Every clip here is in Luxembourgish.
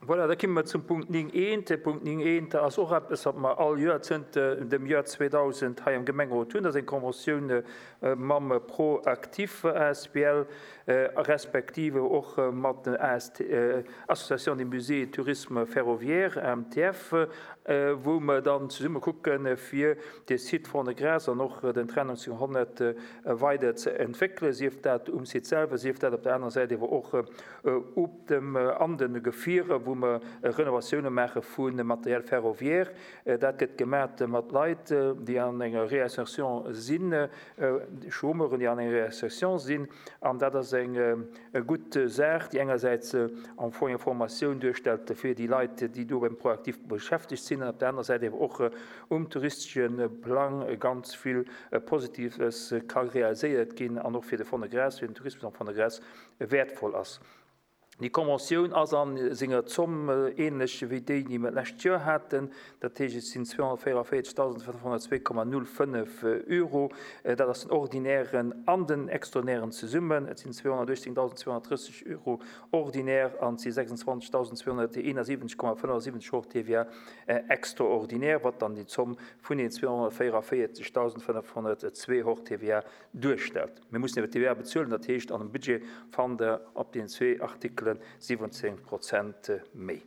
Voilà, da komme mer zum Punkt 9.1. De Punkt 9.1 ass och eppes, wat mer all Joer zënter dem Joer 2000 hei am Gemengerot hunn. Dat ass eng Conventioun mam ProActif asbl respektive och mat der AST, Association des Musées et Tourisme Ferroviaire, AMTF, wou mer dann zesumme kucken, fir de Site Fond-de-Gras an och den Train 1900 weider ze entwéckelen, sief dat um Site selwer, sief dat op der anerer Säit ewer och op dem, an de Gefierer, wou mer Renovatioune maache vu Matériel ferroviaire. Dat gëtt gemat mat Leit, déi an enger Réinsertion sinn, Chômeuren, déi an enger Réinsertion sinn. An dat ass eng gutt Saach, déi engersäits am Fong eng Formatioun duerstellt fir déi Leit, déi do beim ProActif beschäftegt sinn, an op der anerer Säit awer och um touristesche Plang ganz vill Positives ka realiséiert ginn an och fir de Fond-de-Gras, fir den Tourismus am Fond-de-Gras wäertvoll ass. Déi Conventioun ass a senger Zomm ähnlech wéi déi, déi mer d'lescht Joer haten. Dat heescht, et sinn 244.502,05 Euro. Dat ass den ordinären an den extraordinären zesummen. Et sinn 218.230 Euro ordinär an et si 26.271,75 hors TVA extraordinär, wat dann déi Zomm vun den 244.502 hors TVA duerstellt. Mir mussen iwwer d'TVA bezuelen, dat heescht an dem Budget fannt Der op deenen zwee Artikele 17 Prozent méi.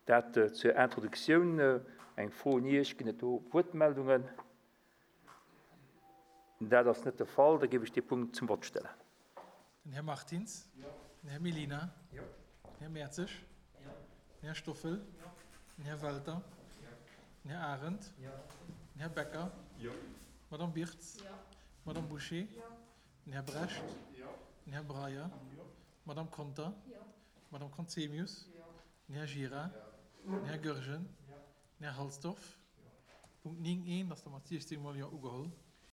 Dat zur Introduktioun. Eng Fro un Iech, Ginn et do Wuertmeldungen? Dat ass net de Fall. Da géif ech dee Punkt zum Vott stellen. Den Här Martins. Den Här Mellina. Den Här Mertzig. Den Här Stoffel. Den Här Welter. Den Här Arendt. Den Här Becker. D'Madame Birtz. D'Madame Bouché. Den Här Brecht. Den Här Breyer. D'Madame Conter. D'Madame Conzemius. Den Här Gira. Den Här Goergen. Den Här Halsdorf. Punkt 9 1 ass da mat 16 mol Jo ugeholl.